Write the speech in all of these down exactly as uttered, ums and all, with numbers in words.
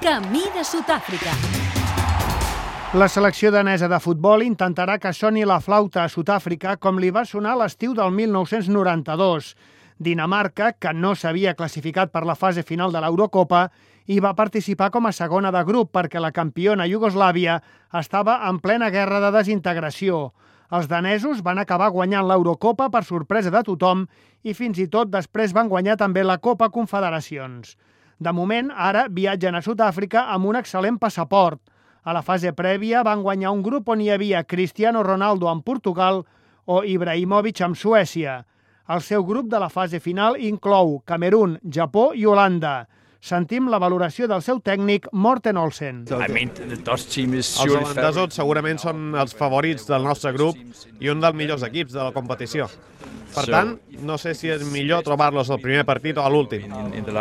Camí de Sud-àfrica. La selecció danesa de futbol intentarà que soni la flauta a Sud-àfrica com li va sonar a l'estiu del mil nou-cents noranta-dos. Dinamarca, que no s'havia classificat per la fase final de l'Eurocopa, i va participar com a segona de grup perquè la campiona Iugoslàvia estava en plena guerra de desintegració. Els danesos van acabar guanyant l'Eurocopa per sorpresa de tothom i fins i tot després van guanyar també la Copa Confederacions. De moment, ara viatgen a Sud-àfrica amb un excel·lent passaport. A la fase prèvia van guanyar un grup on hi havia Cristiano Ronaldo amb Portugal o Ibrahimovic amb Suècia. El seu grup de la fase final inclou Camerún, Japó i Holanda. Sentim la valoració del seu tècnic, Morten Olsen. Els holandesos segurament són els favorits del nostre grup i un dels millors equips de la competició. Per tant, no sé si és millor trobar-los al primer partit o a l'últim.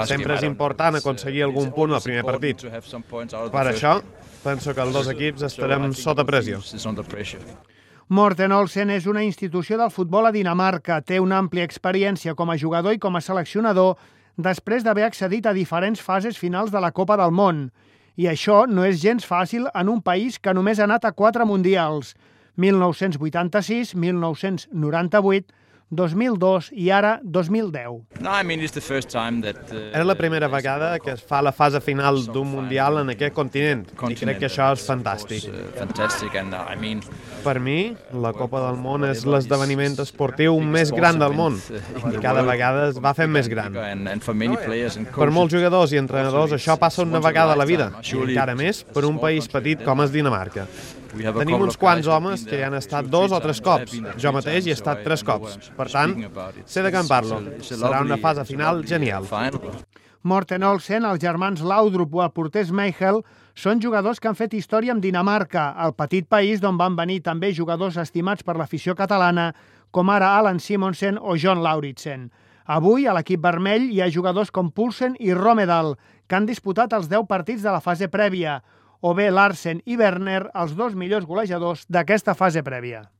Sempre és important aconseguir algun punt al primer partit. Per això, penso que els dos equips estarem sota pressió. Morten Olsen és una institució del futbol a Dinamarca. Té una àmplia experiència com a jugador i com a seleccionador després d'haver accedit a diferents fases finals de la Copa del Món. I això no és gens fàcil en un país que només ha anat a quatre mundials: mil nou-cents vuitanta-sis, mil nou-cents noranta-vuit, dos mil dos i ara dos mil deu. És la primera vegada que es fa la fase final d'un mundial en aquest continent i crec que això és fantàstic. Per mi, la Copa del Món és l'esdeveniment esportiu més gran del món i cada vegada es va fent més gran. Per molts jugadors i entrenadors això passa una vegada a la vida i encara més per un país petit com és Dinamarca. Tenim uns quants homes que hi han estat dos o tres cops. Jo mateix hi he estat tres cops. Per tant, sé de què en parlo. Serà una fase final genial. Morten Olsen, els germans Laudrup o el porter Schmeichel són jugadors que han fet història amb Dinamarca, el petit país d'on van venir també jugadors estimats per l'afició catalana, com ara Allan Simonsen o John Lauritsen. Avui, a l'equip vermell, hi ha jugadors com Poulsen i Rommedahl, que han disputat els deu partits de la fase prèvia, o bé Larsen i Werner, els dos millors golejadors d'aquesta fase prèvia.